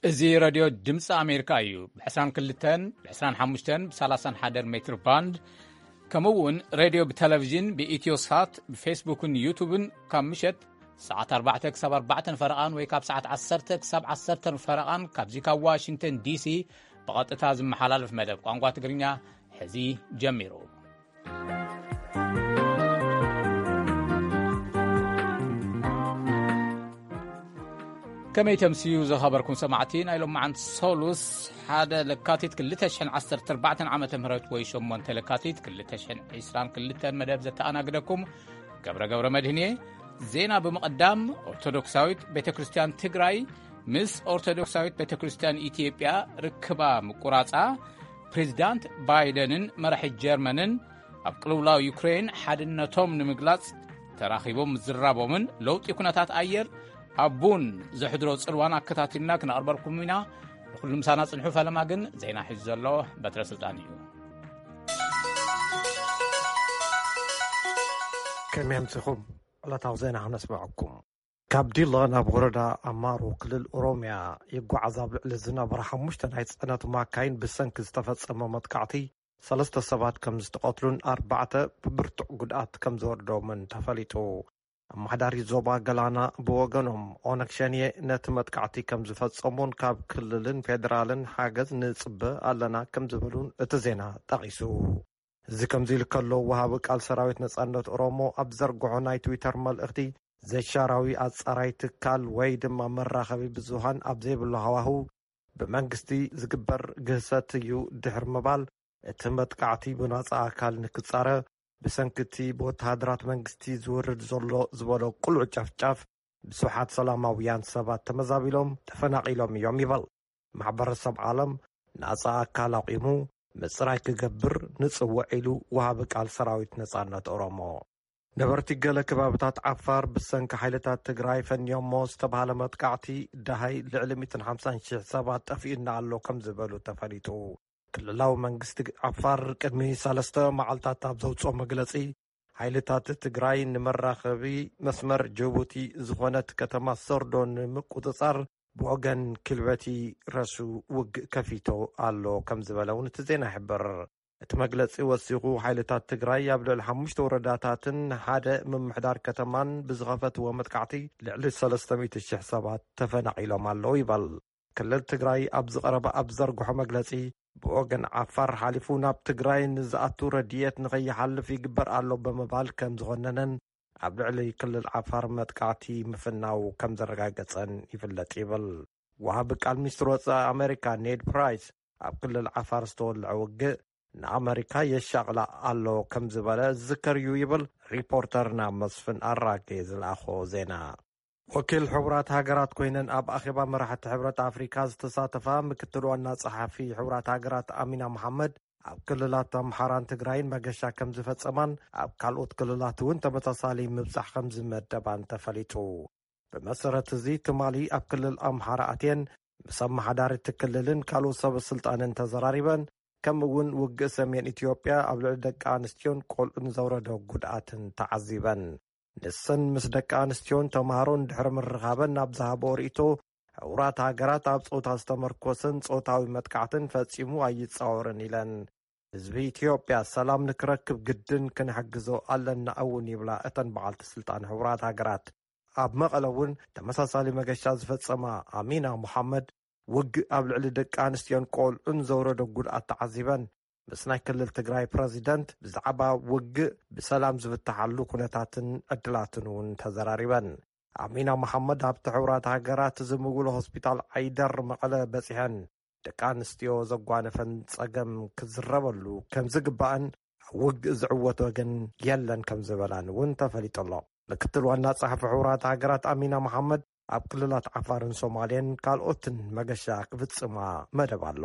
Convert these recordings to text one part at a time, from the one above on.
እዚ ሬድዮ ድምፂ ኣሜሪካ እዩ። ብ22፣ ብ25፣ ብ31 ሜትር ባንድ፣ ከምኡ እውን ሬድዮ ብቴሌቪዥን ብኢትዮ ሳት፣ ብፌስቡክን ዩቱብን ካብ ምሸት ሰዓት ኣርባዕተ ክሳብ ኣርባዕተ ፈረቓን ወይ ካብ ሰዓት ዓሰርተ ክሳብ ዓሰርተ ፈረቓን ካብዚ ካብ ዋሽንግተን ዲሲ ብቐጥታ ዝመሓላለፍ መደብ ቋንቋ ትግርኛ ሕዚ ጀሚሩ። ከመይ ተምስዩ ዝኸበርኩም ሰማዕቲ ናይ ሎማዓንቲ ሰሉስ ሓደ ለካቲት ክልተ ሽሕን ዓሰርተ ኣርባዕተን ዓመተ ምህረት ወይ ሸሞንተ ለካቲት ክልተ ሽሕን ዕስራን ክልተን መደብ ዘተኣናግደኩም ገብረ ገብረ መድህን እየ። ዜና ብምቕዳም ኦርቶዶክሳዊት ቤተ ክርስቲያን ትግራይ ምስ ኦርቶዶክሳዊት ቤተ ክርስቲያን ኢትዮጵያ ርክባ ምቁራጻ፣ ፕሬዚዳንት ባይደንን መራሒ ጀርመንን ኣብ ቅልውላው ዩክሬን ሓድነቶም ንምግላጽ ተራኺቦም ምዝራቦምን ለውጢ ኩነታት ኣየር ኣብ ቡን ዘሕድሮ ጽልዋን ኣከታቲልና ክነቕርበልኩም ኢና። ንኹሉ ምሳና ጽንሑ። ፈለማ ግን ዜና ሒዙ ዘሎ በትረ ስልጣን እዩ። ከመይ ኣምሲኹም? ዕለታዊ ዜና ክነስምዐኩም። ካብ ዲላ ናብ ወረዳ ኣማሮ ክልል ኦሮሚያ ይጓዓዝ ኣብ ልዕሊ ዝነበራ ሓሙሽተ ናይ ጽዕነት ማካይን ብሰንኪ ዝተፈጸመ መጥቃዕቲ ሰለስተ ሰባት ከም ዝተቐትሉን ኣርባዕተ ብብርቱዕ ጉድኣት ከም ዝወርዶምን ተፈሊጡ። ኣመሓዳሪ ዞባ ገላና ብወገኖም ኦነግ ሸኔ ነቲ መጥቃዕቲ ከም ዝፈጸሙን ካብ ክልልን ፌደራልን ሓገዝ ንጽበ ኣለና ከም ዝበሉን እቲ ዜና ጠቒሱ። እዚ ከምዚ ኢሉ ከሎ፣ ወሃቢ ቃል ሰራዊት ነጻነት ኦሮሞ ኣብ ዘርግሖ ናይ ትዊተር መልእኽቲ፣ ዘይሻራዊ ኣጻራይ ትካል ወይ ድማ መራኸቢ ብዙሃን ኣብ ዘይብሉ ሃዋህው ብመንግስቲ ዝግበር ግህሰት እዩ ድሕሪ ምባል፣ እቲ መጥቃዕቲ ብናጻ ኣካል ንክጻረ ብሰንኪ እቲ ብወተሃደራት መንግስቲ ዝውርድ ዘሎ ዝበሎ ቅሉዕ ጨፍጫፍ ብስውሓት ሰላማውያን ሰባት ተመዛቢሎም ተፈናቒሎም እዮም ይበል። ማሕበረሰብ ዓለም ናጻ ኣካል ኣቑሙ ምጽራይ ክገብር ንጽውዕ ኢሉ ወሃቢ ቃል ሰራዊት ነጻነት ኦሮሞ። ነበርቲ ገለ ከባብታት ዓፋር ብሰንኪ ሓይልታት ትግራይ ፈንዮሞ ዝተባህለ መጥቃዕቲ ደሃይ ልዕሊ ሚእትን ሓምሳን ሺሕ ሰባት ጠፊኡና ኣሎ ከም ዝበሉ ተፈሊጡ። ክልላዊ መንግስቲ ዓፋር ቅድሚ ሰለስተ መዓልታት ኣብ ዘውፅኦ መግለፂ፣ ሓይልታት ትግራይ ንመራኸቢ መስመር ጅቡቲ ዝኾነት ከተማ ሰርዶ ንምቁፅፃር ብወገን ክልበቲ ረሱ ውግእ ከፊቶ ኣሎ ከም ዝበለ እውን እቲ ዜና ይሕብር። እቲ መግለፂ ወሲኹ፣ ሓይልታት ትግራይ ኣብ ልዕሊ ሓሙሽተ ወረዳታትን ሓደ ምምሕዳር ከተማን ብዝኸፈትዎ መጥቃዕቲ ልዕሊ ሰለስተ ሚእቲ ሺሕ ሰባት ተፈናቒሎም ኣለዉ ይበል። ክልል ትግራይ ኣብ ዝቐረበ ኣብ ዘርግሖ መግለፂ፣ ብወገን ዓፋር ሓሊፉ ናብ ትግራይ ንዝኣቱ ረድኤት ንኸይሓልፍ ይግበር ኣሎ ብምባል ከም ዝኾነነን ኣብ ልዕሊ ክልል ዓፋር መጥቃዕቲ ምፍናው ከም ዘረጋገጸን ይፍለጥ ይብል። ወሃቢ ቃል ሚኒስትር ወጻኢ ኣሜሪካ ኔድ ፕራይስ ኣብ ክልል ዓፋር ዝተወልዐ ውግእ ንኣመሪካ የሻቕላ ኣሎ ከም ዝበለ ዝዝከር እዩ ይብል ሪፖርተርና መስፍን ኣራጌ ዝለኣኾ ዜና። ወኪል ሕቡራት ሃገራት ኮይነን ኣብ ኣኼባ መራሕቲ ሕብረት ኣፍሪካ ዝተሳተፋ ምክትል ዋና ጸሓፊ ሕቡራት ሃገራት ኣሚና መሓመድ፣ ኣብ ክልላት ኣምሓራን ትግራይን መገሻ ከም ዝፈጸማን ኣብ ካልኦት ክልላት እውን ተመሳሳሊ ምብጻሕ ከም ዝመደባን ተፈሊጡ። ብመሰረት እዚ ትማሊ ኣብ ክልል ኣምሓራ ኣትየን ምስ ኣመሓዳሪ እቲ ክልልን ካልኦት ሰበ ስልጣንን ተዘራሪበን፣ ከምኡ እውን ውግእ ሰሜን ኢትዮጵያ ኣብ ልዕሊ ደቂ ኣንስትዮን ቆልዑን ዘውረዶ ጉድኣትን ተዓዚበን። ንሰን ምስ ደቂ ኣንስትዮን ተምሃሮን ድሕሪ ምርኻበን ናብ ዝሃቦ ርእይቶ፣ ሕቡራት ሃገራት ኣብ ጾታ ዝተመርኮሰን ጾታዊ መጥቃዕትን ፈጺሙ ኣይጻወርን ኢለን። ህዝቢ ኢትዮጵያ ሰላም ንክረክብ ግድን ክንሕግዞ ኣለና እውን ይብላ እተን በዓልቲ ስልጣን ሕቡራት ሃገራት። ኣብ መቐለ እውን ተመሳሳሊ መገሻ ዝፈጸማ ኣሚና መሓመድ፣ ውግእ ኣብ ልዕሊ ደቂ ኣንስትዮን ቆልዑን ዘውረዶ ጉድኣት ተዓዚበን፣ ምስ ናይ ክልል ትግራይ ፕረዚደንት ብዛዕባ ውግእ ብሰላም ዝፍትሓሉ ኩነታትን ዕድላትን እውን ተዘራሪበን። ኣሚና መሓመድ ኣብቲ ሕቡራት ሃገራት ዝምውሎ ሆስፒታል ዓይደር መቐለ በጺሐን፣ ደቂ ኣንስትዮ ዘጓነፈን ጸገም ክዝረበሉ ከም ዝግባእን፣ ኣብ ውግእ ዝዕወት ወገን የለን ከም ዝበላን እውን ተፈሊጡ ኣሎ። ምክትል ዋና ጸሓፊ ሕቡራት ሃገራት ኣሚና መሓመድ ኣብ ክልላት ዓፋርን ሶማሌን ካልኦትን መገሻ ክፍጽማ መደብ ኣሎ።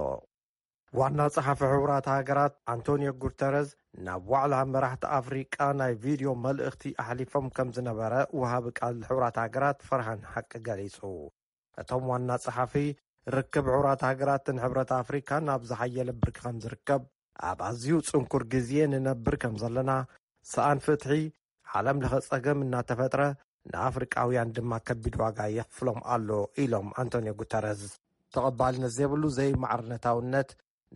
ዋና ጸሓፊ ሕቡራት ሃገራት ኣንቶኒዮ ጉተረዝ ናብ ዋዕላ መራሕቲ ኣፍሪቃ ናይ ቪድዮ መልእኽቲ ኣሕሊፎም ከም ዝነበረ ወሃቢ ቃል ሕቡራት ሃገራት ፈርሃን ሓቂ ገሊጹ። እቶም ዋና ጸሓፊ፣ ርክብ ሕቡራት ሃገራትን ሕብረት ኣፍሪካን ኣብ ዝሓየለ ብርኪ ከም ዝርከብ፣ ኣብ ኣዝዩ ጽንኩር ግዜ ንነብር ከም ዘለና፣ ሰኣን ፍትሒ፣ ዓለም ለኸ ጸገም እናተፈጥረ፣ ንኣፍሪቃውያን ድማ ከቢድ ዋጋ የኽፍሎም ኣሎ ኢሎም ኣንቶኒዮ ጉተረዝ። ተቐባልነት ዘይብሉ ዘይማዕርነታውነት፣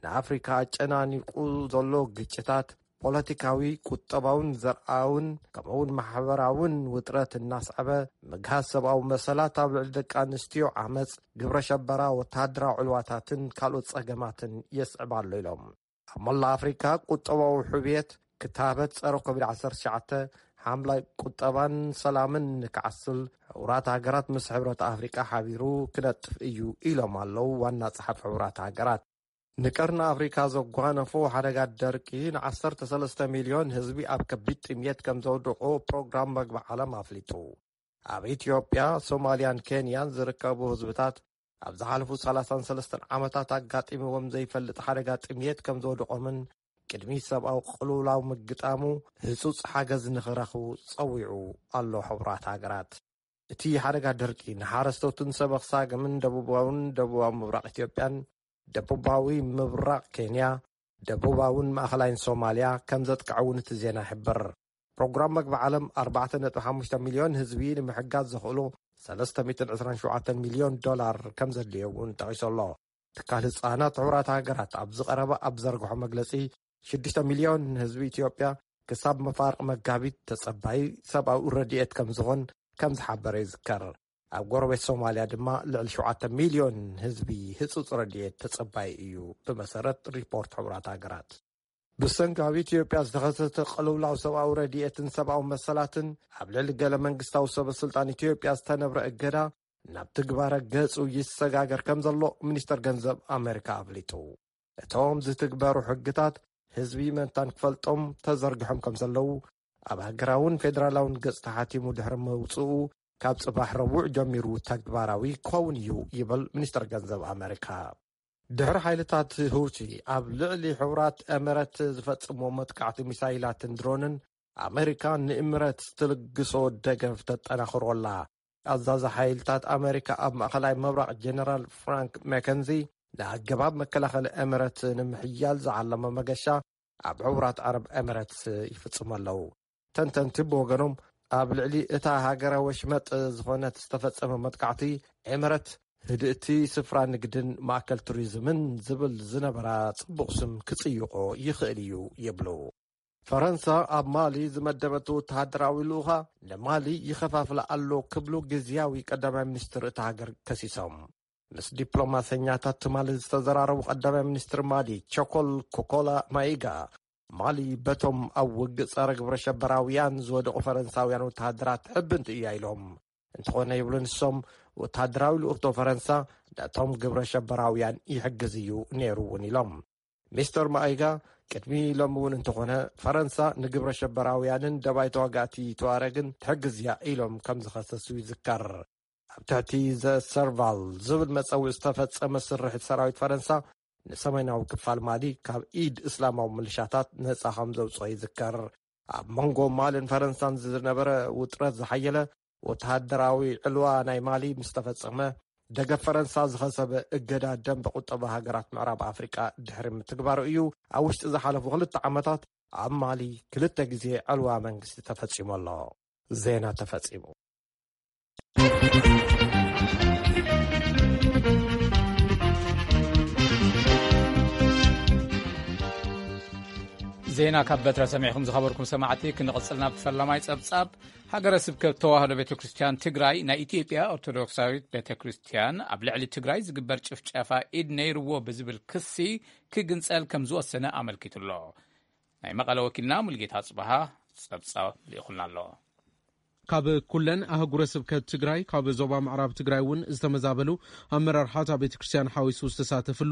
ንኣፍሪካ ኣጨናኒቁ ዘሎ ግጭታት፣ ፖለቲካዊ፣ ቁጠባውን ዘርኣውን ከምኡውን ማሕበራውን ውጥረት እናስዐበ፣ ምግሃስ ሰብኣዊ መሰላት፣ ኣብ ልዕሊ ደቂ ኣንስትዮ ዓመፅ፣ ግብረ ሸበራ፣ ወተሃደራዊ ዕልዋታትን ካልኦት ፀገማትን የስዕብ ኣሎ ኢሎም። ኣብ መላ ኣፍሪካ ቁጠባዊ ሕብየት፣ ክታበት ጸረ ኮቪድ ዓሰርተ ትሽዓተ፣ ሓምላይ ቁጠባን ሰላምን ንክዓስል፣ ሕቡራት ሃገራት ምስ ሕብረት ኣፍሪቃ ሓቢሩ ክነጥፍ እዩ ኢሎም ኣለዉ ዋና ጸሓፊ ሕቡራት ሃገራት። ንቀርኒ ኣፍሪካ ዘጓነፎ ሓደጋ ደርቂ ን ዓሰርተ ሰለስተ ሚልዮን ህዝቢ ኣብ ከቢድ ጥምየት ከም ዘውድቆ ፕሮግራም መግቢ ዓለም ኣፍሊጡ። ኣብ ኢትዮጵያ፣ ሶማልያን ኬንያን ዝርከቡ ህዝብታት ኣብ ዝሓለፉ ሰላሳን ሰለስተን ዓመታት ኣጋጢምዎም ዘይፈልጥ ሓደጋ ጥምየት ከም ዘውድቆምን ቅድሚ ሰብኣዊ ቅልውላው ምግጣሙ ህጹጽ ሓገዝ ንኽረኽቡ ጸዊዑ ኣሎ። ሕቡራት ሃገራት፣ እቲ ሓደጋ ደርቂ ንሓረስቶትን ሰበኽ ሳግምን ደቡባውን ደቡባዊ ምብራቕ ኢትዮጵያን ደቡባዊ ምብራቕ ኬንያ፣ ደቡባውን ማእኸላይን ሶማልያ ከም ዘጥቅዐ እውን እቲ ዜና ይሕብር። ፕሮግራም መግቢ ዓለም ኣርባዕተ ነጥቢ ሓሙሽተ ሚልዮን ህዝቢ ንምሕጋዝ ዘኽእሉ ሰለስተ ሚእትን ዕስራን ሸውዓተን ሚልዮን ዶላር ከም ዘድልዮ እውን ጠቒሱ ኣሎ። ትካል ህጻናት ሕቡራት ሃገራት ኣብ ዝቐረበ ኣብ ዘርግሖ መግለጺ፣ ሽዱሽተ ሚልዮን ህዝቢ ኢትዮጵያ ክሳብ መፋርቕ መጋቢት ተጸባይ ሰብኣዊ ረድኤት ከም ዝኾን ከም ዝሓበረ ይዝከር። ኣብ ጎረቤት ሶማልያ ድማ ልዕሊ ሸውዓተ ሚልዮን ህዝቢ ህጹጽ ረድኤት ተጸባይ እዩ፣ ብመሰረት ሪፖርት ሕቡራት ሃገራት። ብሰንኪ ኣብ ኢትዮጵያ ዝተኸሰተ ቅልውላው ሰብኣዊ ረድኤትን ሰብኣዊ መሰላትን ኣብ ልዕሊ ገለ መንግስታዊ ሰበ ስልጣን ኢትዮጵያ ዝተነብረ እገዳ ናብ ትግባረ ገጹ ይሰጋገር ከም ዘሎ ሚኒስተር ገንዘብ ኣመሪካ ኣፍሊጡ። እቶም ዝትግበሩ ሕግታት ህዝቢ መንታን ክፈልጦም ተዘርግሖም ከም ዘለዉ ኣብ ሃገራውን ፌደራላውን ገጽ ተሓቲሙ ድሕሪ መውጽኡ ካብ ጽባሕ ረቡዕ ጀሚሩ ተግባራዊ ክኸውን እዩ ይብል ሚኒስተር ገንዘብ ኣመሪካ። ድሕሪ ሓይልታት ሁቲ ኣብ ልዕሊ ሕቡራት ኤምረት ዝፈጽምዎ መጥቃዕቲ ሚሳይላትን ድሮንን ኣመሪካ ንኤምረት ትልግሶ ደገፍ ተጠናኽሮ ኣላ። ኣዛዚ ሓይልታት ኣመሪካ ኣብ ማእኸላይ ምብራቕ ጀነራል ፍራንክ መከንዚ ንኣገባብ መከላኸሊ ኤምረት ንምሕያል ዝዓለመ መገሻ ኣብ ሕቡራት ዓረብ ኤምረት ይፍጽሙ ኣለዉ። ተንተንቲ ብወገኖም ኣብ ልዕሊ እታ ሃገረ ወሽመጥ ዝኾነት ዝተፈጸመ መጥቃዕቲ ኤምረት ህድእቲ ስፍራ ንግድን ማእከል ቱሪዝምን ዝብል ዝነበራ ጽቡቕ ስም ክጽይቖ ይኽእል እዩ ይብሉ። ፈረንሳ ኣብ ማሊ ዝመደበቶ ወተሃደራዊ ልኡኻ ንማሊ ይኸፋፍላ ኣሎ ክብሉ ግዝያዊ ቀዳማይ ሚኒስትር እታ ሃገር ከሲሶም። ምስ ዲፕሎማሰኛታት ትማሊ ዝተዘራረቡ ቀዳማይ ሚኒስትር ማሊ ቸኮል ኮኮላ ማይጋ፣ ማሊ በቶም ኣብ ውግእ ጸረ ግብረ ሸበራውያን ዝወደቑ ፈረንሳውያን ወተሃደራት ሕብንቲ እያ ኢሎም። እንተኾነ ይብሉ ንሶም፣ ወተሃደራዊ ልኡኽቶ ፈረንሳ ነቶም ግብረ ሸበራውያን ይሕግዝ እዩ ነይሩ እውን ኢሎም። ሚስተር ማይጋ ቅድሚ ሎሚ እውን እንተኾነ ፈረንሳ ንግብረ ሸበራውያንን ደባይ ተዋጋእቲ ተዋረግን ትሕግዝ እያ ኢሎም ከም ዝኸሰሱ ይዝከር። ኣብ ትሕቲ ዘ ሰርቫል ዝብል መጸውዒ ዝተፈጸመ ስርሒት ሰራዊት ፈረንሳ ንሰሜናዊ ክፋል ማሊ ካብ ኢድ እስላማዊ ምልሻታት ነጻ ከም ዘውጽኦ ይዝከር። ኣብ መንጎ ማልን ፈረንሳን ዝነበረ ውጥረት ዝሓየለ ወተሃደራዊ ዕልዋ ናይ ማሊ ምስ ተፈጸመ፣ ደገፍ ፈረንሳ ዝኸሰበ እገዳ ደንበ ቁጠባ ሃገራት ምዕራብ ኣፍሪቃ ድሕሪ ምትግባሩ እዩ። ኣብ ውሽጢ ዝሓለፉ ክልተ ዓመታት ኣብ ማሊ ክልተ ግዜ ዕልዋ መንግስቲ ተፈጺሙ ኣሎ። ዜና ተፈጺሙ። ዜና ካብ በትረ ሰሚዕኹም ዝኸበርኩም ሰማዕቲ፣ ክንቕጽል ናብ ፈላማይ ጸብጻብ። ሃገረ ስብከት ተዋህዶ ቤተ ክርስቲያን ትግራይ፣ ናይ ኢትዮጵያ ኦርቶዶክሳዊት ቤተ ክርስቲያን ኣብ ልዕሊ ትግራይ ዝግበር ጭፍጨፋ ኢድ ነይርዎ ብዝብል ክሲ ክግንጸል ከም ዝወሰነ ኣመልኪቱ ኣሎ። ናይ መቐለ ወኪልና ሙልጌታ ጽበሃ ጸብጻብ ልኢኹልና ኣሎ። ካብ ኩለን ኣህጉረ ስብከት ትግራይ፣ ካብ ዞባ ምዕራብ ትግራይ እውን ዝተመዛበሉ ኣመራርሓ እታ ቤተ ክርስቲያን ሓዊሱ ዝተሳተፍሉ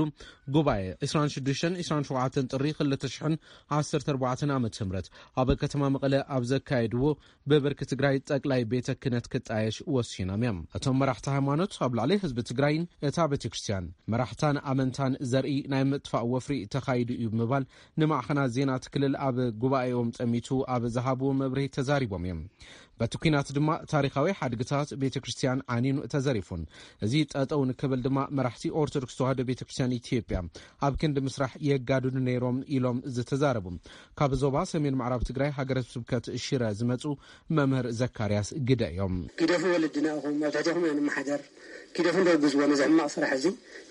ጉባኤ ዕስራን ሽዱሽተን ዕስራን ሸውዓተን ጥሪ ክልተ ሽሕን ዓሰርተ ኣርባዕተን ዓመተ ምህረት ኣብ ከተማ መቐለ ኣብ ዘካየድዎ፣ ብብርኪ ትግራይ ጠቅላይ ቤተ ክህነት ክጣየሽ ወሲኖም እዮም። እቶም መራሕቲ ሃይማኖት ኣብ ልዕሊ ህዝቢ ትግራይን እታ ቤተ ክርስቲያን መራሕታን ኣመንታን ዘርኢ ናይ ምጥፋእ ወፍሪ ተኻይዱ እዩ ብምባል ንማዕኸናት ዜና እቲ ክልል ኣብ ጉባኤኦም ጠሚቱ ኣብ ዝሃብዎ መብርሂ ተዛሪቦም እዮም። በቲ ኲናት ድማ ታሪኻዊ ሓድግታት ቤተ ክርስቲያን ዓኒኑ ተዘሪፉን፣ እዚ ጠጠው ንክብል ድማ መራሕቲ ኦርቶዶክስ ተዋህዶ ቤተ ክርስቲያን ኢትዮጵያ ኣብ ክንዲ ምስራሕ የጋድዱ ነይሮም ኢሎም ዝተዛረቡ ካብ ዞባ ሰሜን ምዕራብ ትግራይ ሃገረ ስብከት ሽረ ዝመፁ መምህር ዘካርያስ ግደ እዮም። ግደፉ ወለድና ኢኹም፣ ኣብ ትሕቲኹም ኢና ንመሓደር። ኪደፉ እንደውግዝዎ ነዚ ሕማቕ ስራሕ እዚ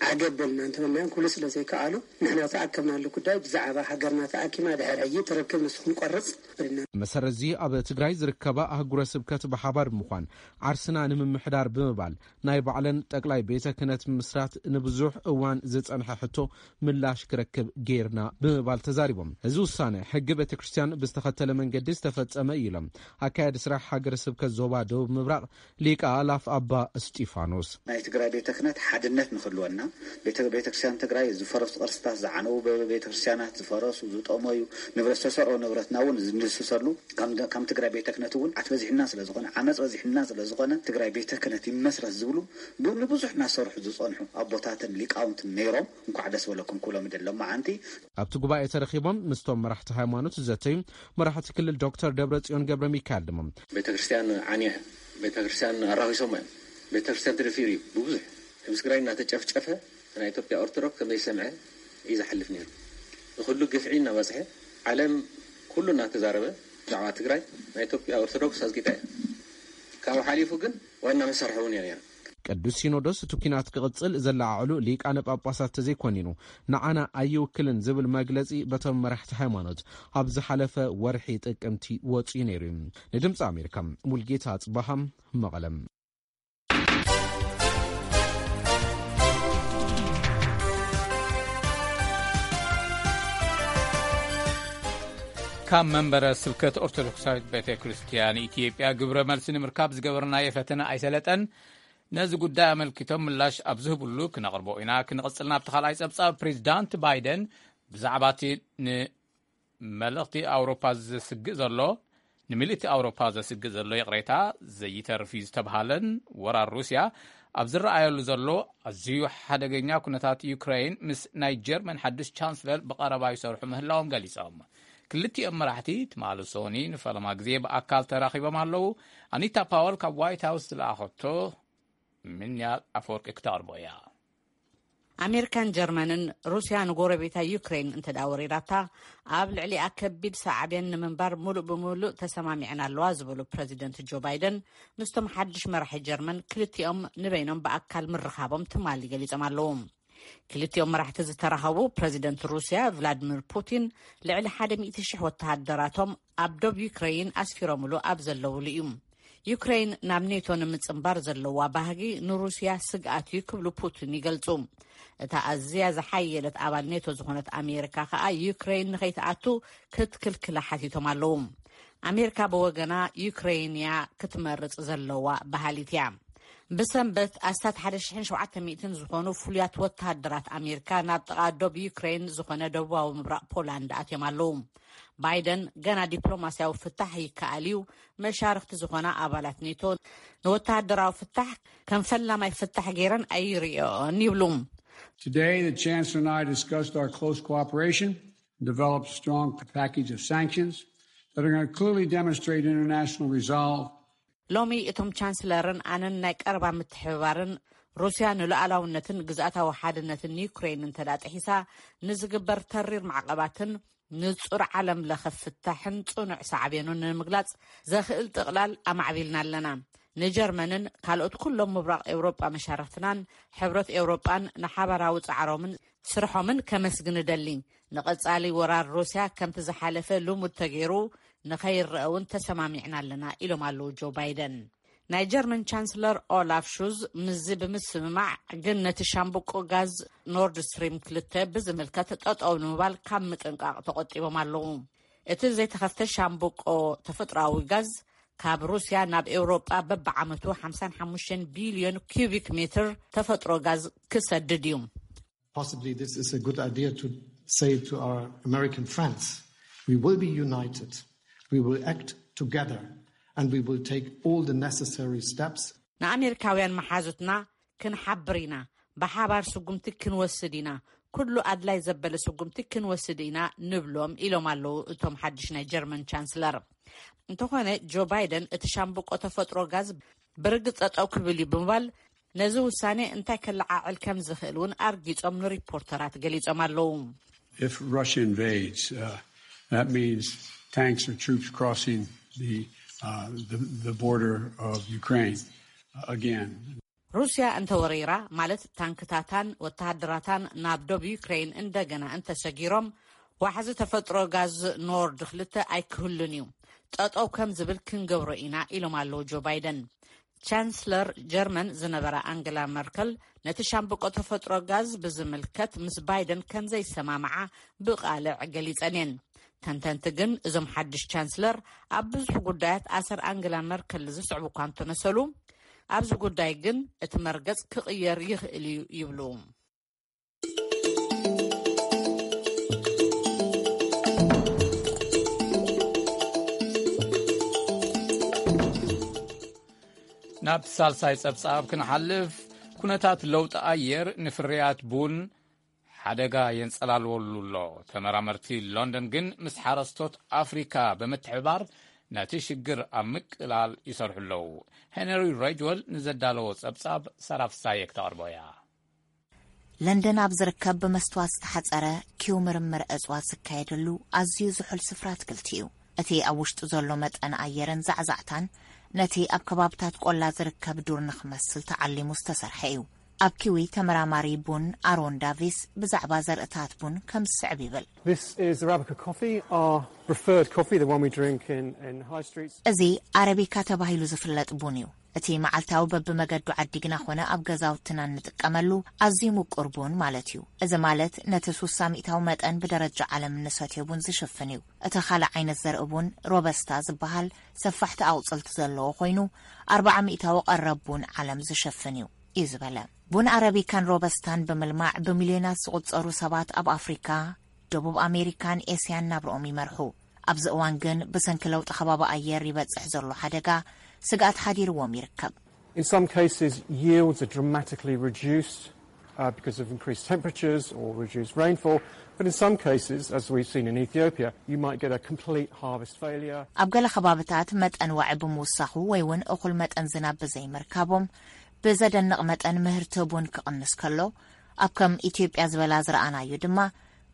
ዓገብ በልና እንተበልናዮም ኩሉ ስለ ዘይከኣሉ ንሕና ተኣከብናሉ ጉዳይ ብዛዕባ ሃገርና ተኣኪማ ድሕር ሕጂ ትርክብ ንሱ ክንቆርጽ በልና። መሰረት እዚ ኣብ ትግራይ ዝርከባ ኣህጉረ ስብከት ብሓባር ብምዃን ዓርስና ንምምሕዳር ብምባል ናይ ባዕለን ጠቅላይ ቤተ ክህነት ምስራት ንብዙሕ እዋን ዝጸንሐ ሕቶ ምላሽ ክረክብ ጌርና ብምባል ተዛሪቦም። እዚ ውሳነ ሕጊ ቤተ ክርስቲያን ብዝተኸተለ መንገዲ ዝተፈጸመ እዩ ኢሎም። ኣካያዲ ስራሕ ሃገረ ስብከት ዞባ ደቡብ ምብራቕ ሊቀ ኣእላፍ ኣባ እስጢፋኖስ። ናይ ትግራይ ቤተ ክህነት ሓድነት ንክህልወና፣ ቤተ-፣ ቤተክርስትያን ትግራይ ዝፈረሱ ቅርስታት፣ ዝዓነዉ ቤ-፣ ቤተክርስትያናት፣ ዝፈረሱ ዝጠመዩ ንብረት፣ ዝተሰርቑ ንብረትና እውን ዝንድስሰሉ፣ ከም ደ-፣ ከም ትግራይ ቤተ ክህነት እውን ዓት በዚሕና ስለ ዝኾነ፣ ዓመፅ በዚሕና ስለ ዝኾነ ትግራይ ቤተ ክህነት ይመስረት ዝብሉ ብ-፣ ንብዙሕ እናሰርሑ ዝፀንሑ ኣቦታትን ሊቃውንትን ነይሮም። እንኳዕ ደስ በለኩም ክብሎም ይደሊ ሎማዓንቲ። ኣብቲ ጉባኤ ተረኺቦም ምስቶም መራሕቲ ሃይማኖት ዝዘተዩ መራሕቲ ክልል ዶክተር ደብረጽዮን ገብረ ሚካኤል ድማ ቤተክርስትያን ዓንያ፣ ቤተክርስትያን ኣራኺሶም እዮም። ቤተክርስትያን ተደፊሩ እዩ ብብዙሕ። ህዝቢ ትግራይ እናተጨፍጨፈ ናይ ኢትዮጵያ ኦርቶዶክስ ከመይ ሰምዐ እዩ ዝሓልፍ ነይሩ። ንኩሉ ግፍዒ እናበፅሐ ዓለም ኩሉ እናተዛረበ ብዛዕባ ትግራይ ናይ ኢትዮጵያ ኦርቶዶክስ ኣዝጊጣ እያ። ካብኡ ሓሊፉ ግን ዋና መሳርሒ እውን እያ ነይራ። ቅዱስ ሲኖዶስ እቲ ኲናት ክቕጽል ዘለዓዕሉ ሊቃነ ጳጳሳት ተዘይኮኒኑ ንዓና ኣይውክልን ዝብል መግለጺ በቶም መራሕቲ ሃይማኖት ኣብ ዝሓለፈ ወርሒ ጥቅምቲ ወጺኡ ነይሩ እዩ። ንድምፂ ኣሜሪካ ሙልጌታ ኣጽባሃ መቐለም። ካብ መንበረ ስብከት ኦርቶዶክሳዊት ቤተ ክርስቲያን ኢትዮጵያ ግብረ መልሲ ንምርካብ ዝገበርናዮ ፈተነ ኣይሰለጠን። ነዚ ጉዳይ ኣመልኪቶም ምላሽ ኣብ ዝህብሉ ክነቕርቦ ኢና። ክንቕጽል ናብቲ ካልኣይ ጸብጻብ። ፕሬዚዳንት ባይደን ብዛዕባ እቲ ንመልእኽቲ ኣውሮፓ ዘስግእ ዘሎ፣ ንምልእቲ ኣውሮፓ ዘስግእ ዘሎ ይቕሬታ ዘይተርፍ እዩ ዝተብሃለን ወራር ሩስያ ኣብ ዝረኣየሉ ዘሎ ኣዝዩ ሓደገኛ ኩነታት ዩክሬን ምስ ናይ ጀርመን ሓድሽ ቻንስለር ብቐረባ ይሰርሑ ምህላዎም ገሊጾም። ክልቲኦም መራሕቲ ትማሊ ሶኒ ንፈለማ ግዜ ብኣካል ተራኺቦም ኣለዉ። ኣኒታ ፓወል ካብ ዋይት ሃውስ ዝለኣኸቶ ምንያ ኣፈወርቂ ክተቕርቦ እያ። ኣሜሪካን ጀርመንን ሩስያ ንጎረቤታ ዩክሬን እንተ ደኣ ወሪራታ፣ ኣብ ልዕሊኣ ከቢድ ሳዕቤን ንምንባር ሙሉእ ብሙሉእ ተሰማሚዐን ኣለዋ ዝብሉ ፕረዚደንት ጆ ባይደን፣ ምስቶም ሓድሽ መራሒ ጀርመን ክልቲኦም ንበይኖም ብኣካል ምርኻቦም ትማሊ ገሊጾም ኣለዉ። ክልቲኦም መራሕቲ ዝተራኸቡ ፕረዚደንት ሩስያ ቭላድሚር ፑቲን ልዕሊ ሓደ ሚእቲ ሽሕ ወተሃደራቶም ኣብ ዶብ ዩክሬይን ኣስፊሮምሉ ኣብ ዘለውሉ እዩ። ዩክሬይን ናብ ኔቶ ንምጽንባር ዘለዋ ባህጊ ንሩስያ ስግኣት እዩ ክብሉ ፑቲን ይገልጹ። እታ ኣዝያ ዝሓየለት ኣባል ኔቶ ዝኾነት ኣሜሪካ ከኣ ዩክሬይን ንኸይትኣቱ ክትክልክላ ሓቲቶም ኣለዉ። ኣሜሪካ ብወገና ዩክሬይን እያ ክትመርጽ ዘለዋ በሃሊት እያ። ብሰንበት ኣስታት ሓደ ሽሕን ሸውዓተ ሚእትን ዝኾኑ ፍሉያት ወተሃደራት ኣሜሪካ ናብ ጥቓ ዶብ ዩክሬይን ዝኾነ ደቡባዊ ምብራቕ ፖላንድ ኣትዮም ኣለዉ። ባይደን ገና ዲፕሎማስያዊ ፍታሕ ይከኣል እዩ፣ መሻርኽቲ ዝኾና ኣባላት ኔቶ ንወተሃደራዊ ፍታሕ ከም ፈላማይ ፍታሕ ገይረን ኣይርእዮን ይብሉ። Today, the Chancellor and I discussed our close cooperation and developed a strong package of sanctions that are going to clearly demonstrate international resolve. ሎሚ እቶም ቻንስለርን ኣነን ናይ ቀረባ ምትሕብባርን ሩስያ ንሉዓላውነትን ግዝኣታዊ ሓድነትን ዩክሬን እንተ ደኣ ጥሒሳ ንዝግበር ተሪር ማዕቐባትን ንጹር ዓለም ለኸ ፍታሕን ጽኑዕ ሳዕቤኑን ንምግላጽ ዘኽእል ጥቕላል ኣማዕቢልና ኣለና። ንጀርመንን ካልኦት ኩሎም ምብራቕ ኤውሮጳ መሻርኽትናን ሕብረት ኤውሮጳን ንሓባራዊ ጻዕሮምን ስርሖምን ከመስግን እደሊ። ንቐጻሊ ወራር ሩስያ ከምቲ ዝሓለፈ ልሙድ ተገይሩ ንኸይረአ እውን ተሰማሚዕና ኣለና ኢሎም ኣለዉ ጆ ባይደን። ናይ ጀርመን ቻንስለር ኦላፍ ሹዝ ምስዚ ብምስምማዕ ግን ነቲ ሻምብቆ ጋዝ ኖርድ ስትሪም ክልተ ብዝምልከት ጠጠው ንምባል ካብ ምጥንቃቕ ተቖጢቦም ኣለዉ። እቲ ዘይተኸፍተ ሻምብቆ ተፈጥሮኣዊ ጋዝ ካብ ሩስያ ናብ ኤውሮጳ በብዓመቱ ሓምሳን ሓሙሽተን ቢልዮን ኪዩቢክ ሜትር ተፈጥሮ ጋዝ ክሰድድ እዩ። Possibly this is a good idea to say to our American friends, we will be united, we will act together, and we will take all the necessary steps. ንኣሜሪካውያን መሓዙትና ክንሓብር ኢና፣ ብሓባር ስጉምቲ ክንወስድ ኢና፣ ኩሉ ኣድላይ ዘበለ ስጉምቲ ክንወስድ ኢና ንብሎም ኢሎም ኣለዉ እቶም ሓድሽ ናይ ጀርመን ቻንስለር። እንተኾነ ጆ ባይደን እቲ ሻምብቆ ተፈጥሮ ጋዝ ብርግጽ ጠጠው ክብል እዩ ብምባል ነዚ ውሳኔ እንታይ ከለዓዕል ከም ዝኽእል እውን ኣርጊጾም ንሪፖርተራት ገሊጾም ኣለዉ። If Russia invades, uh, that means tanks or troops crossing the, uh, the, the border of Ukraine, uh, again. ሩስያ እንተወሪራ፣ ማለት ታንክታታን ወተሃደራታን ናብ ዶብ ዩክሬን እንደገና እንተሰጊሮም፣ ዋሕዚ ተፈጥሮ ጋዝ ኖርድ ክልተ ኣይክህሉን እዩ። ጠጠው ከም ዝብል ክንገብሮ ኢና፣ ኢሎም ኣለዉ ጆ ባይደን። ቻንስለር ጀርመን ዝነበራ ኣንገላ መርከል ነቲ ሻምብቆ ተፈጥሮ ጋዝ ብዝምልከት ምስ ባይደን ከም ዘይሰማምዓ ብቓልዕ ገሊጸን እየን። ተንተንቲ ግን እዞም ሓድሽ ቻንስለር ኣብ ብዙሕ ጉዳያት ኣሰር ኣንገላ መርከል ዝስዕቡ እኳ እንተመሰሉ፣ ኣብዚ ጉዳይ ግን እቲ መርገጽ ክቕየር ይኽእል እዩ ይብሉ። ናብ ሳልሳይ ጸብጻብ ክንሓልፍ፣ ኩነታት ለውጢ ኣየር ንፍርያት ቡን ሓደጋ የንጸላልወሉ ኣሎ። ተመራመርቲ ሎንደን ግን ምስ ሓረስቶት ኣፍሪካ ብምትሕብባር ነቲ ሽግር ኣብ ምቅላል ይሰርሑ ኣለዉ። ሄንሪ ሬጅወል ንዘዳለዎ ጸብጻብ ሰራፍሳየ ክተቕርቦ እያ። ለንደን ኣብ ዝርከብ ብመስትዋት ዝተሓጸረ ኪው ምርምር እጽዋት ዝካየደሉ ኣዝዩ ዝሑል ስፍራ ኣትክልቲ እዩ። እቲ ኣብ ውሽጡ ዘሎ መጠን ኣየርን ዛዕዛዕታን ነቲ ኣብ ከባብታት ቆላ ዝርከብ ዱር ንኽመስል ተዓሊሙ ዝተሰርሐ እዩ። ኣብ ኪዊ ተመራማሪ ቡን ኣሮን ዳቪስ ብዛዕባ ዘርእታት ቡን ከም ዝስዕብ ይብል። This is Arabica coffee, our preferred coffee, the one we drink in, in high streets. እዚ ኣረቢካ ተባሂሉ ዝፍለጥ ቡን እዩ። እቲ መዓልታዊ በብመገዱ ዓዲግና ኾነ ኣብ ገዛውትና እንጥቀመሉ ኣዝዩ ምቁር ቡን ማለት እዩ። እዚ ማለት ነቲ ሱሳ ሚእታዊ መጠን ብደረጃ ዓለም እንሰትዮ ቡን ዝሽፍን እዩ። እቲ ካልእ ዓይነት ዘርኢ ቡን ሮበስታ ዝበሃል ሰፋሕቲ ኣቑጽልቲ ዘለዎ ኮይኑ፣ ኣርብዓ ሚእታዊ ቀረብ ቡን ዓለም ዝሽፍን እዩ እዩ ዝበለ። ቡን ኣረቢካን ሮበስታን ብምልማዕ ብሚልዮናት ዝቑጸሩ ሰባት ኣብ ኣፍሪካ፣ ደቡብ ኣሜሪካን ኤስያን ናብርኦም ይመርሑ። ኣብዚ እዋን ግን ብሰንኪ ለውጢ ከባቢ ኣየር ይበጽሕ ዘሎ ሓደጋ ስግኣት ሓዲርዎም ይርከብ። In some cases, yields are dramatically reduced uh, because of increased temperatures or reduced rainfall. But in some cases, as we've seen in Ethiopia, you might get a complete harvest failure. ኣብ ገለ ከባብታት መጠን ዋዒ ብምውሳኹ ወይ እውን እኹል መጠን ዝናብ ብዘይምርካቦም ብዘደንቕ መጠን ምህርቲ ቡን ክቕንስ ከሎ፣ ኣብ ከም ኢትዮጵያ ዝበላ ዝረኣናዮ ድማ፣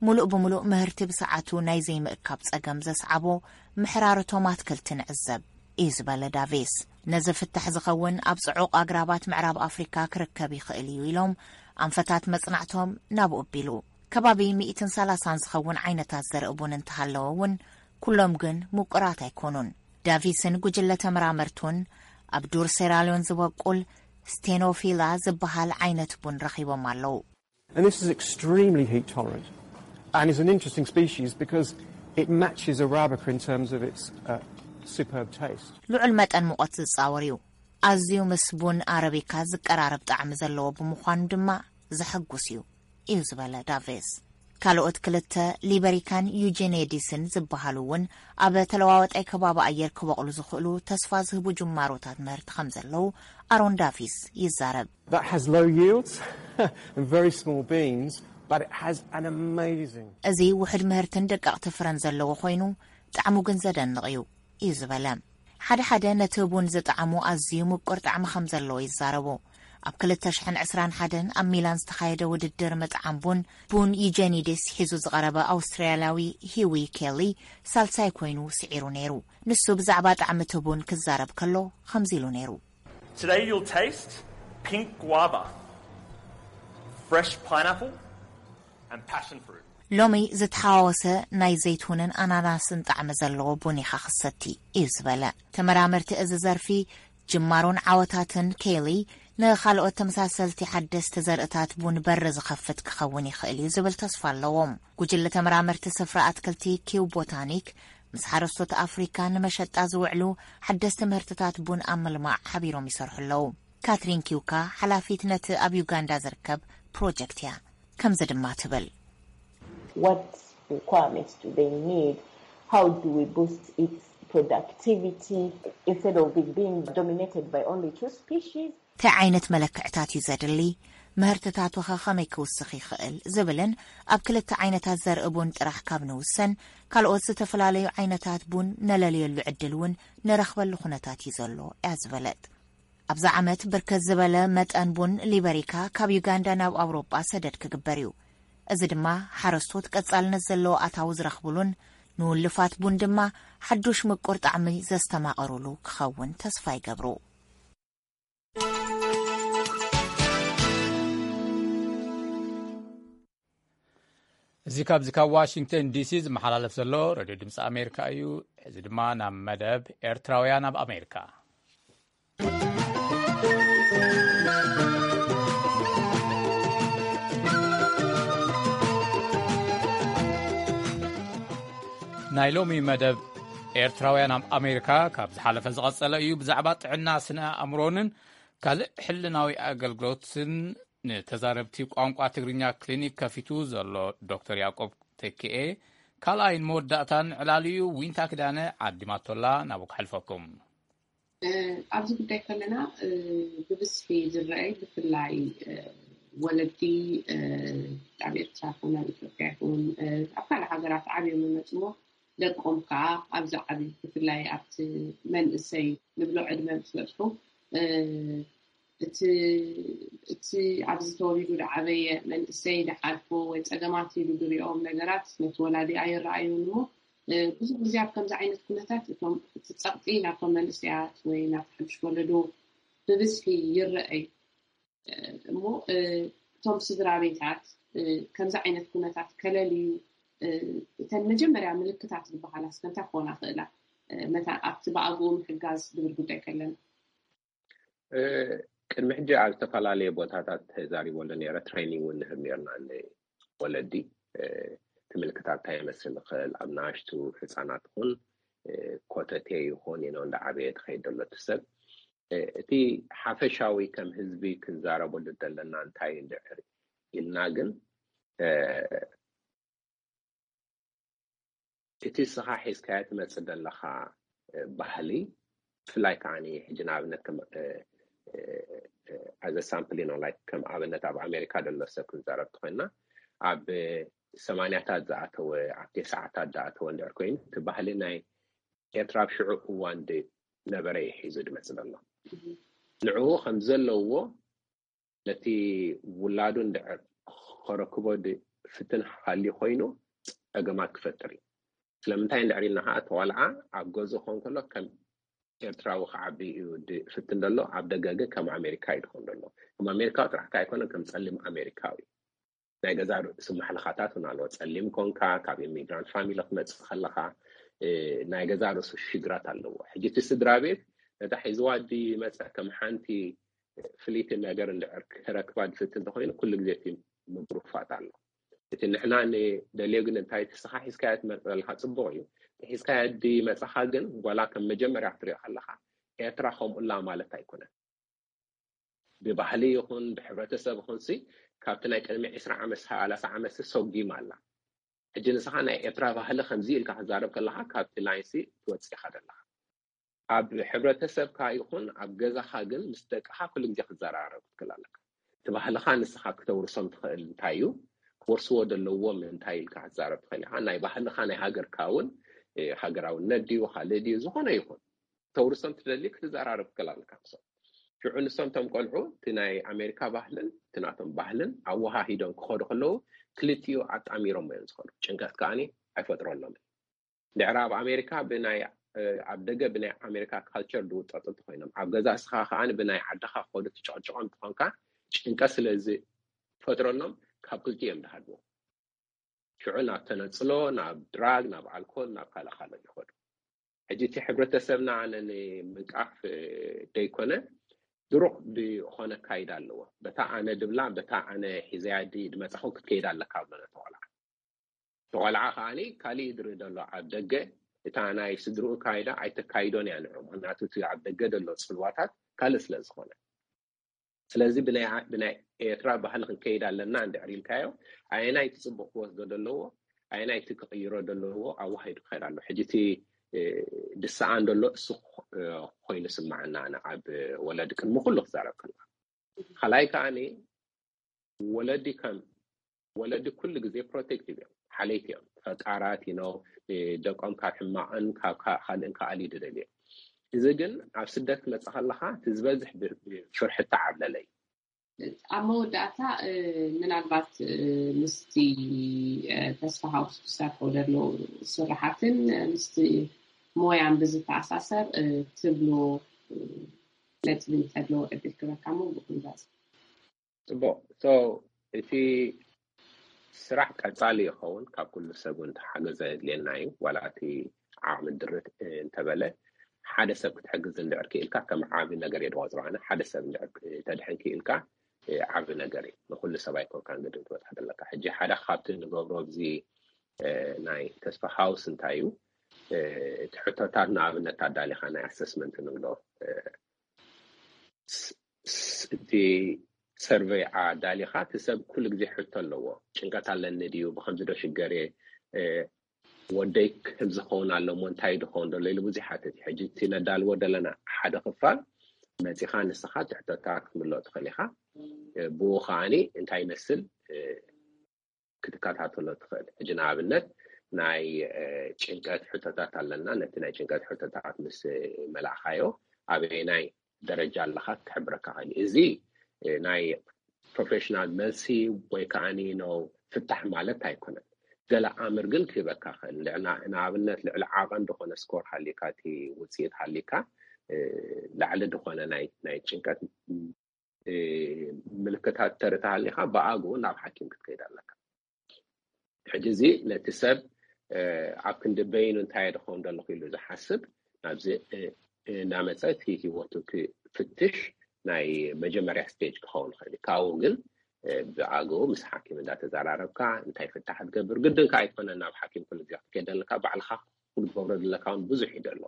ሙሉእ ብሙሉእ ምህርቲ ብሰዓቱ ናይ ዘይምእካብ ጸገም ዘስዓቦ ምሕራርቶም ኣትክልቲ ንዕዘብ እዩ ዝበለ ዳቪስ። ነዚ ፍታሕ ዝኸውን ኣብ ጽዑቕ ኣግራባት ምዕራብ ኣፍሪካ ክርከብ ይኽእል እዩ ኢሎም ኣንፈታት መጽናዕቶም ናብኡ ኣቢሉ። ከባቢ ሚእትን ሰላሳን ዝኸውን ዓይነታት ዘርኢ ቡን እንተሃለወ እውን፣ ኩሎም ግን ምቁራት ኣይኮኑን። ዳቪስን ጉጅለ ተመራመርቱን ኣብ ዱር ሴራልዮን ዝበቁል ስቴኖፊላ ዝበሃል ዓይነት ቡን ረኺቦም ኣለዉ። And this is extremely heat tolerant and is an interesting species because it matches Arabica in terms of its uh, superb taste. ልዑል መጠን ሙቐት ዝጻወር እዩ። ኣዝዩ ምስ ቡን ኣረቢካ ዝቀራረብ ጣዕሚ ዘለዎ ብምዃኑ ድማ ዘሐጉስ እዩ እዩ ዝበለ ዳቬስ። ካልኦት ክልተ ሊበሪካን ዩጄኔዲስን ዝበሃሉ እውን ኣብ ተለዋዋጣይ ከባቢ ኣየር ክበቕሉ ዝኽእሉ ተስፋ ዝህቡ ጅማሮታት ምህርቲ ከም ዘለዉ ኣሮን ዳቪስ ይዛረብ። That has low yields and very small beans, but it has an amazing. እዚ ውሑድ ምህርትን ደቀቕቲ ፍረን ዘለዎ ኮይኑ፣ ጣዕሙ ግን ዘደንቕ እዩ እዩ ዝበለ። ሓደ ሓደ ነቲ ቡን ዝጠዓሙ ኣዝዩ ምቁር ጣዕሚ ከም ዘለዎ ይዛረቡ። ኣብ ክልተ ሽሕን ዕስራን ሓደን ኣብ ሚላን ዝተኻየደ ውድድር ምጥዓም ቡን፣ ቡን ዩጀኒዲስ ሒዙ ዝቐረበ ኣውስትራልያዊ ሂዊ ኬሊ ሳልሳይ ኮይኑ ስዒሩ ነይሩ። ንሱ ብዛዕባ ጣዕሚ እቲ ቡን ክዛረብ ከሎ ከምዚ ኢሉ ነይሩ። Today you'll taste pink guava, fresh pineapple and passion fruit. ሎሚ ዝተሓዋወሰ ናይ ዘይትሁንን ኣናናስን ጣዕሚ ዘለዎ ቡን ኢኻ ክሰቲ እዩ ዝበለ። ተመራመርቲ እዚ ዘርፊ ጅማሮን ዓወታትን ኬሊ ንኻልኦት ተመሳሰልቲ ሓደስቲ ዘርእታት ቡን በር ዝኸፍት ክኸውን ይኽእል እዩ ዝብል ተስፋ ኣለዎም። ጉጅለ ተመራመርቲ ስፍራ ኣትክልቲ ኪው ቦታኒክ ምስ ሓረስቶት ኣፍሪካ ንመሸጣ ዝውዕሉ ሓደስቲ ምህርትታት ቡን ኣብ ምልማዕ ሓቢሮም ይሰርሑ ኣለዉ። ካትሪን ኪውካ ሓላፊት ነቲ ኣብ ዩጋንዳ ዝርከብ ፕሮጀክት እያ። ከምዚ ድማ ትብል። What requirements do they need? How do we boost its productivity instead of it being dominated by only two species? እንታይ ዓይነት መለክዕታት እዩ ዘድሊ? ምህርትታቱ ኸ ኸመይ ክውስኽ ይኽእል? ዝብልን ኣብ ክልተ ዓይነታት ዘርኢ ቡን ጥራሕ ካብ ንውሰን ካልኦት ዝተፈላለዩ ዓይነታት ቡን ነለልየሉ ዕድል እውን ንረኽበሉ ኩነታት እዩ ዘሎ እያ ዝበለት። ኣብዚ ዓመት ብርክት ዝበለ መጠን ቡን ሊበሪካ ካብ ዩጋንዳ ናብ ኣውሮጳ ሰደድ ክግበር እዩ። እዚ ድማ ሓረስቶት ቀጻልነት ዘለዎ ኣታዊ ዝረኽብሉን ንውልፋት ቡን ድማ ሓዱሽ ምቁር ጣዕሚ ዘስተማቐሩሉ ክኸውን ተስፋ ይገብሩ። እዚ ካብዚ ካብ ዋሽንግተን ዲሲ ዝመሓላለፍ ዘሎ ሬድዮ ድምፂ ኣሜሪካ እዩ። እዚ ድማ ናብ መደብ ኤርትራውያን ኣብ ኣሜሪካ። ናይ ሎሚ መደብ ኤርትራውያን ኣብ ኣሜሪካ ካብ ዝሓለፈ ዝቐጸለ እዩ። ብዛዕባ ጥዕና ስነ ኣእምሮንን ካልእ ሕልናዊ ኣገልግሎትን ንተዛረብቲ ቋንቋ ትግርኛ ክሊኒክ ከፊቱ ዘሎ ዶክተር ያዕቆብ ተኪኤ ካልኣይን መወዳእታን ዕላሉ እዩ። ዊንታ ክዳነ ዓዲማቶላ ናብኡ ክሕልፈኩም። ኣብዚ ጉዳይ ከለና ብብዝሒ ዝረኣይ ብፍላይ ወለዲ ኣብ ኤርትራ ይኹን ኣብ ኢትዮጵያ ይኹን ኣብ ካልእ ሃገራት ዓብዮም ይመፅሞ ደቆም ከዓ ኣብዚ ዓብዩ ብፍላይ ኣብቲ መንእሰይ ንብሎ ዕድመ ምስ በፅሑ እቲ ኣብዚ ተወሊዱ ዝዓበየ መንእሰይ ዝሓልፎ ወይ ፀገማት ኢሉ ዝሪኦም ነገራት ነቲ ወላዲ ኣይረኣዩን እሞ ብዙሕ ግዜ ኣብ ከምዚ ዓይነት ኩነታት እቶም እቲ ፀቕጢ ናብቶም መንእሰያት ወይ ናብ ሓድሽ ወለዶ ብብዝሒ ይረኣይ እሞ እቶም ስድራ ቤታት ከምዚ ዓይነት ኩነታት ከለልዩ እተን መጀመርያ ምልክታት ዝበሃላ እስከ እንታይ ክኾና ክእላ መታ ኣብቲ ብኣግኡ ምሕጋዝ ዝብል ጉዳይ ከለና ቅድሚ ሕጂ ኣብ ዝተፈላለየ ቦታታት ተዛሪበሉ ነረ ትሬኒንግ እውን ንህብ ነርና ንወለዲ እቲ ምልክታት እንታይ ይመስል ይኽእል ኣብ ናሽቱ ህፃናት ኹን ኮተቴ ይኹን ኢኖ እንዳዓበየ ትኸይድ ዘሎ እቲ ሰብ እቲ ሓፈሻዊ ከም ህዝቢ ክንዛረበሉ ዘለና እንታይ እንድዕር ኢልና ግን እቲ ስኻ ሒዝካዮ ትመፅእ ዘለኻ ባህሊ ብፍላይ ከዓ ሕጂ ንኣብነት ኣዘ ሳምፕል ኢኖ ላይክ ከም ኣብነት ኣብ ኣሜሪካ ዘሎ ሰብ ክንዛረብ ትኮይና ኣብ ሰማንያታት ዝኣተወ ኣብ ተስዓታት ዝኣተወ እንድዕር ኮይኑ እቲ ባህሊ ናይ ኤርትራ ኣብ ሽዑ እዋን ነበረ እዩ ሒዙ ድመፅእ ዘሎ ንዕኡ ከም ዘለዎ ነቲ ውላዱ እንድዕር ከረክቦ ፍትን ሃልዩ ኮይኑ ፀገማት ክፈጥር እዩ ስለምንታይ እንድዕር ኢልና ከዓ ተዋልዓ ኣብ ገዝኡ ከውን ከሎ ከም ኤርትራዊ ክዓቢ እዩ ፍትን ዘሎ ኣብ ደገ ግን ከም ኣሜሪካ እዩ ድኾን ዘሎ ከም ኣሜሪካዊ ጥራሕ ከዓ ኣይኮነን ከም ፀሊም ኣሜሪካዊ ናይ ገዛ ርእሱ ማሕለኻታት እውን ኣለዎ ፀሊም ኮንካ ካብ ኢሚግራንት ፋሚሊ ክመፅእ ከለካ ናይ ገዛ ርእሱ ሽግራት ኣለዎ ሕጂ እቲ ስድራ ቤት ነታ ሒዝዋ ድመፀ ከም ሓንቲ ፍልይቲ ነገር እንድዕር ክረክባ ድፍት እንተኮይኑ ኩሉ ግዜ እቲ ምጉርፋት ኣሎ እቲ ንሕና ንደልዮ ግን እንታይ እቲ ስኻ ሒዝካያ ትመፅእ ዘለካ ፅቡቅ እዩ ሒዝካያ ድመፀኻ ግን ጓላ ከም መጀመርያ ክትሪኦ ከለካ ኤርትራ ከምኡላ ማለት ኣይኮነን ብባህሊ ይኹን ብሕብረተሰብ ይኹንሲ ካብቲ ናይ ቅድሚ ዕስራ ዓመት ሰላሳ ዓመት ሰጊማ ኣላ ሕጂ ንስኻ ናይ ኤርትራ ባህሊ ከምዚ ኢልካ ክዛረብ ከለካ ካብቲ ላይንሲ ትወፅእ ኢኻ ዘለካ ኣብ ሕብረተሰብካ ይኹን ኣብ ገዛኻ ግን ምስ ደቅኻ ኩሉ ግዜ ክትዘራረብ ክትክእል ኣለካ እቲ ባህልኻ ንስኻ ክተውርሶም ትኽእል እንታይ እዩ ክወርስዎ ዘለዎም እንታይ ኢልካ ክትዛረብ ትኽእል ኢኻ ናይ ባህልኻ ናይ ሃገርካ እውን ሃገራውነት ድዩ ካልእ ድዩ ዝኾነ ይኹን ተውርሶም ትደሊ ክትዘራረብ ትኽእል ኣለካ ምሶም ሽዑ ንሶም ቶም ቆልዑ እቲ ናይ ኣሜሪካ ባህልን እቲ ናቶም ባህልን ኣወሃሂዶም ክኸዱ ከለዉ ክልቲኡ ኣጣሚሮም እዮም ዝኸዱ ጭንቀት ከዓኒ ኣይፈጥረሎምን ድሕሪ ኣብ ኣሜሪካ ብናይ ኣብ ደገ ብናይ ኣሜሪካ ካልቸር ዝውጠጡ እንተኮይኖም ኣብ ገዛ እስኻ ከዓኒ ብናይ ዓድኻ ክኸዱ ትጨቕጭቖም ትኾንካ ጭንቀት ስለ ዝፈጥረሎም ካብ ክልቲኡ እዮም ዝሃድሙ ሽዑ ናብ ተነፅሎ ናብ ድራግ ናብ ኣልኮል ናብ ካልእ ካልእ ይኸዱ ሕጂ እቲ ሕብረተሰብና ኣነ ንምንቃፍ ደይኮነ ድሩቕ ዝኾነ ኣካይዳ ኣለዎ በታ ኣነ ድብላ በታ ኣነ ሒዘያ ድመፃኹ ክትከይድ ኣለካ ብሎ ነቲ ቆልዓ እቲ ቆልዓ ከዓኒ ካሊእ ድርኢ ዘሎ ኣብ ደገ እታ ናይ ስድርኡ ኣካይዳ ኣይተካይዶን እያ ንዑ ምክንያቱ እቲ ኣብ ደገ ዘሎ ፅልዋታት ካልእ ስለ ዝኾነ ስለዚ ብናይ ኤርትራ ባህሊ ክንከይድ ኣለና እንድሕር ኢልካዮ ኣየናይ እቲ ፅቡቅ ክወስዶ ዘለዎ ኣየናይ እቲ ክቅይሮ ዘለዎ ኣዋሂዱ ክኸይድ ኣሎ ሕጂ እቲ ድሰኣን ዘሎ እሱ ኮይኑ ስማዓና ኣነ ኣብ ወለዲ ቅድሚ ኩሉ ክዛረብ ከለካ ካልኣይ ከዓኒ ወለዲ ከም ወለዲ ኩሉ ግዜ ፕሮቴክቲቭ እዮም ሓለይቲ እዮም ፈቃራት ኢኖ ደቆም ካብ ሕማቅን ካብ ካልእን ክኣሊ ድደልዮ እዚ ግን ኣብ ስደት ክመፅእ ከለካ እቲ ዝበዝሕ ብፍርሒ ተዓብለለ እዩ ኣብ መወዳእታ ምናልባት ምስቲ ተስፋ ሃውስ ክሰርሖ ዘሎ ስራሓትን ምስቲ ሞያን ብዝተኣሳሰር ትብሎ ነጥቢ እንተሎ ዕድል ክበካ ሞ ብኩንዛዝ ፅቡቅ እቲ ስራሕ ቀጻሊ ይኸውን። ካብ ኩሉ ሰብ እውን ተሓገዘ የድልየና እዩ። ዋላ እቲ ዓቕሚ ድርት እንተበለ፣ ሓደ ሰብ ክትሕግዝ እንድሕር ክኢልካ ከም ዓቢ ነገር እየ ዝቆጽሮ ኣነ። ሓደ ሰብ እንድሕር ተድሕን ክኢልካ፣ እ፣ ዓቢ ነገር እዩ። ንኩሉ ሰብ ኣይኮንካን ግድን ትበጽሕ ዘለካ። ሕጂ ሓደ ካብቲ ንገብሮ ኣብዚ፣ እ፣ ናይ ተስፋ ሃውስ እንታይ እዩ? እ፣ እቲ ሕቶታት ንኣብነት ኣዳሊኻ ናይ ኣሰስመንት ንብሎ፣ እ፣ ስ-፣ ስ-፣ እቲ ሰርቨይ ኣዳሊኻ፣ እቲ ሰብ ኩሉ ግዜ ሕቶ ኣለዎ። ጭንቀት ኣለኒ ድዩ? ብኸምዚ ዶ ሽገር እየ? እ፣ ወደይ ከምዚ ክኸውን ኣለዎ፣ እንታይ ድኸውን ደሎ ኢሉ ብዙሕ ይሓትት እዩ። ሕጂ እቲ ነዳልዎ ዘለና ሓደ ክፋል መጺኻ ንስኻ ትሕተታ ክትምልኦ ትኽእል ኢኻ። እ፣ ብኡ ከኣኒ እንታይ ይመስል፣ እ፣ ክትከታተሎ ትኽእል። ሕጂ ንኣብነት ናይ፣ እ፣ ጭንቀት ሕቶታት ኣለና። ነቲ ናይ ጭንቀት ሕቶታት ምስ መላእኻዮ ኣበየናይ ደረጃ ኣለኻ ክሕብረካ ክእል እዩ። እዚ፣ እ፣ ናይ ፕሮፌሽናል መልሲ ወይ ከዓኒ ነው ፍታሕ ማለት ኣይኮነን። ገለ ኣምር ግን ክህበካ ክእል። ልዕና-፣ ንኣብነት ልዕሊ ዓቐን ዝኾነ ስኮር ሃሊካ፣ እቲ ውፅኢት ሃሊካ፣ እ፣ ላዕሊ ዝኾነ ናይ፣ ናይ ጭንቀት፣ እ፣ ምልክታት ተርኢ ተሃሊኻ ብኣግኡ ናብ ሓኪም ክትከይድ ኣለካ። ሕጂ እዚ ነቲ ሰብ፣ እ፣ ኣብ ክንዲ በይኑ እንታይ እየ ድኸውን ዘለኹ ኢሉ ዝሓስብ ናብዚ፣ እ፣ እ፣ እናመጸ እቲ ህይወቱ ክፍትሽ ናይ መጀመርያ ስቴጅ ክኸውን ይኽእል እዩ። ካብኡ ግን፣ እ፣ ብኣግኡ ምስ ሓኪም እንዳተዘራረብካ እንታይ ፍታሕ ትገብር። ግድን ከኣ ኣይኮነን ናብ ሓኪም ኩሉ ግዜ ክትከይድ ዘለካ፣ ባዕልኻ ክትገብሮ ዘለካ እውን ብዙሕ እዩ ዘሎ።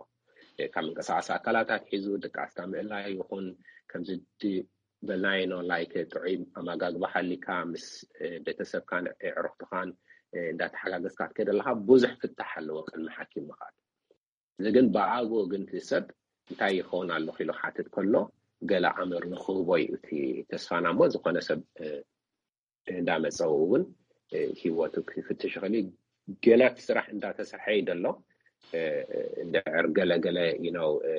እ፣ ካብ ምንቅስቃስ ኣካላት ኣትሒዙ ድቃስካ ምእላይ ይኹን ከምዚ ድ-፣ በናይኖ ላይክ ጥዑይ ኣመጋግባ ሃሊካ ምስ፣ እ፣ ቤተሰብካን ኣዕሩኽትኻን፣ እ፣ እንዳተሓጋገዝካ ክትከይድ ኣለኻ ብዙሕ ፍታሕ ኣለዎ ቅድሚ ሓኪም ምኻድ። እዚ ግን ብኣግኡ ግን እቲ ሰብ እንታይ ይኸውን ኣለኹ ኢሉ ሓትት ከሎ ገለ ኣምር ንክህቦ እዩ እቲ ተስፋና እሞ ዝኾነ ሰብ፣ እ፣ እንዳመጸ እውን፣ እ፣ ህይወቱ ክፍትሽ ይኽእል እዩ። ገና እቲ ስራሕ እንዳተሰርሐ እዩ ዘሎ። እ፣ እንድሕር ገለ ገለ፣ you know፣ እ፣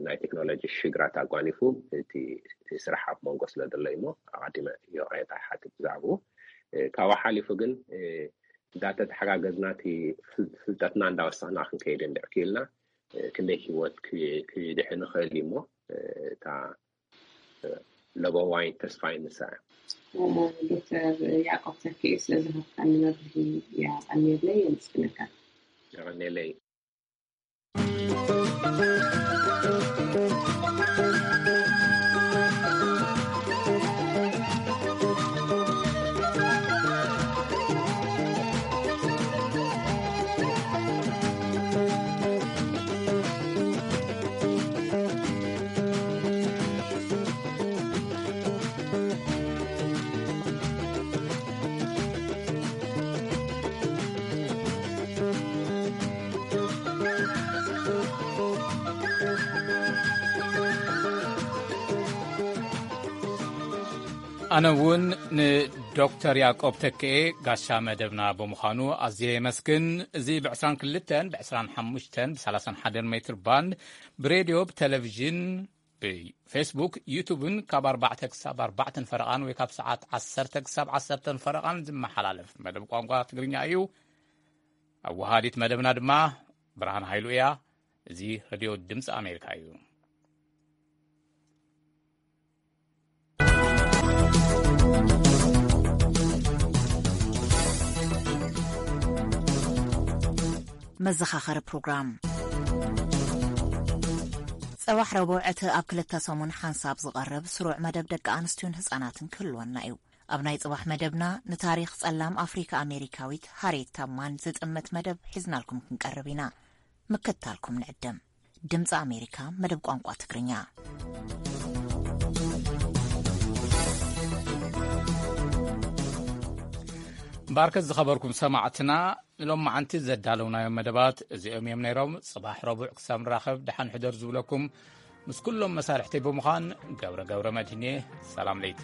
ናይ ቴክኖሎጂ ሽግራት ኣጓኒፉ እቲ፣ እቲ ስራሕ ኣብ መንጎ ስለ ዘሎ እዩ እሞ ኣቐዲመ ይቕሬታ ይሓትት ብዛዕባኡ። እ፣ ካብኡ ሓሊፉ ግን፣ እ፣ እንዳተተሓጋገዝና እቲ ፍል-፣ ፍልጠትና እንዳወሰኽና ክንከይድ እንድሕር ክኢልና፣ እ፣ ክንደይ ህይወት ክ-፣ ክድሕን ይኽእል እዩ እሞ፣ እ፣ እታ ለበዋይ ተስፋይ ንሳ እያ። ዶክተር ያዕቆብ ተኪኤ ስለ ዝሃብካኒ መብርሂ የቐንየለይ፣ የመስግነካ። የቐንየለይ። ኣነ እውን ንዶክተር ያዕቆብ ተክኤ ጋሻ መደብና ብምዃኑ ኣዝየ የመስግን። እዚ ብ22ን ብ25ን ብ31 ሜትር ባንድ ብሬድዮ፣ ብቴሌቪዥን፣ ብፌስቡክ፣ ዩቱብን ካብ ኣርባዕተ ክሳብ ኣርባዕተን ፈረቓን ወይ ካብ ሰዓት ዓሰርተ ክሳብ ዓሰርተን ፈረቓን ዝመሓላለፍ መደብ ቋንቋ ትግርኛ እዩ። ኣወሃዲት መደብና ድማ ብርሃን ሃይሉ እያ። እዚ ሬድዮ ድምፂ ኣሜሪካ እዩ። መዘኻኸሪ ፕሮግራም። ጽባሕ ረቡዕ እቲ ኣብ ክልተ ሰሙን ሓንሳብ ዝቐርብ ስሩዕ መደብ ደቂ ኣንስትዮን ህጻናትን ክህልወና እዩ። ኣብ ናይ ጽባሕ መደብና ንታሪኽ ጸላም ኣፍሪካ ኣሜሪካዊት ሃሪየት ታብማን ዝጥምት መደብ ሒዝናልኩም ክንቀርብ ኢና። ምክታልኩም ንዕድም። ድምፂ ኣሜሪካ መደብ ቋንቋ ትግርኛ። እምበኣርከስ ዝኸበርኩም ሰማዕትና፣ ንሎማዓንቲ ዘዳለውናዮም መደባት እዚኦም እዮም ነይሮም። ጽባሕ ረቡዕ ክሳብ ንራኸብ ደሓን ሕደር ዝብለኩም ምስ ኩሎም መሳርሕተይ ብምዃን ገብረ ገብረ መድህን እየ። ሰላም ለይቲ።